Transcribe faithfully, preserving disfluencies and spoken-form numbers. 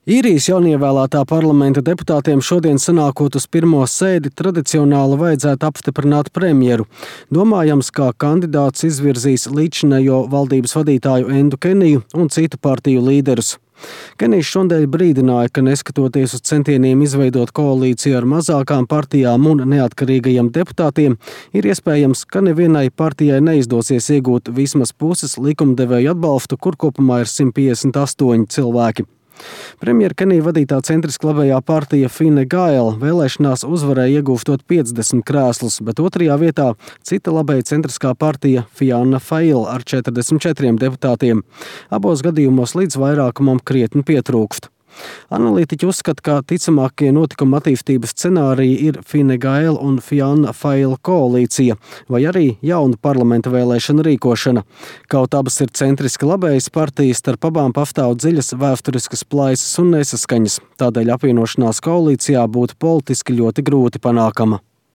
Īrijas jaunievēlētā parlamenta deputātiem šodien sanākot uz pirmo sēdi tradicionāli vajadzētu apstiprināt premjeru. Domājams, kā kandidāts izvirzīs līdzinējo valdības vadītāju Endu Keniju un citu partiju līderus. Kenijs šodien brīdināja, ka neskatoties uz centieniem izveidot koalīciju ar mazākām partijām un neatkarīgajiem deputātiem, ir iespējams, ka nevienai partijai neizdosies iegūt vismaz puses likumdevēju atbalstu, kur kopumā ir simt piecdesmit astoņi cilvēki. Premjera Kenija vadītā centriski labējā partija Fine Gael vēlēšanās uzvarēja iegūstot piecdesmit krēslus, bet otrajā vietā cita labēja centriskā partija Fianna Fáil ar četrdesmit četriem deputātiem. Abos gadījumos līdz vairākumam krietni pietrūkst. Analītiķi uzskata, ka ticamākie notikuma attīstības scenāriji ir Fine Gael un Fianna Fáil koalīcija vai arī jauna parlamenta vēlēšana rīkošana. Kaut abas ir centriski labējas partijas, starp abām pastāv dziļas vēsturiskas plaisas un nesaskaņas. Tādēļ apvienošanās koalīcijā būtu politiski ļoti grūti panākama.